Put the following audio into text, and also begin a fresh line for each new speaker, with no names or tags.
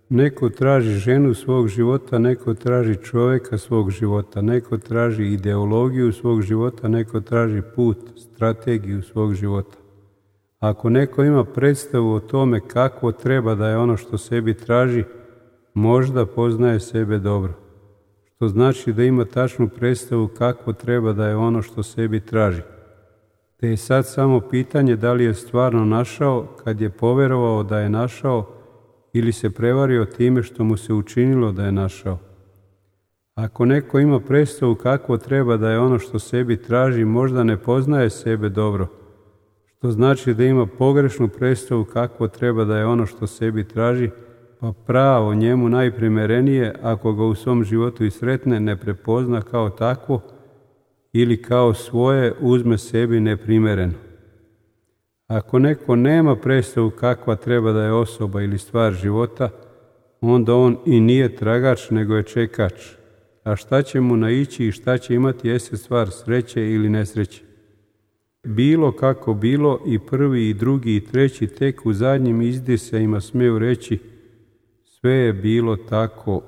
Neko traži ženu svog života, neko traži čovjeka svog života, neko traži ideologiju svog života, neko traži put, strategiju svog života. Ako neko ima predstavu o tome kakvo treba da je ono što sebi traži, možda poznaje sebe dobro. Što znači da ima tačnu predstavu kakvo treba da je ono što sebi traži. Te je sad samo pitanje da li je stvarno našao kad je poverovao da je našao ili se prevario time što mu se učinilo da je našao. Ako neko ima predstavu kakvo treba da je ono što sebi traži, možda ne poznaje sebe dobro. Što znači da ima pogrešnu predstavu kakvo treba da je ono što sebi traži, pa pravo njemu najprimerenije, ako ga u svom životu i sretne, ne prepozna kao takvo ili kao svoje uzme sebi neprimereno. Ako neko nema predstavu kakva treba da je osoba ili stvar života, onda on i nije tragač, nego je čekač. A šta će mu naići i šta će imati jeste stvar sreće ili nesreće. Bilo kako bilo, i prvi i drugi i treći tek u zadnjim izdisajima smeju reći sve je bilo tako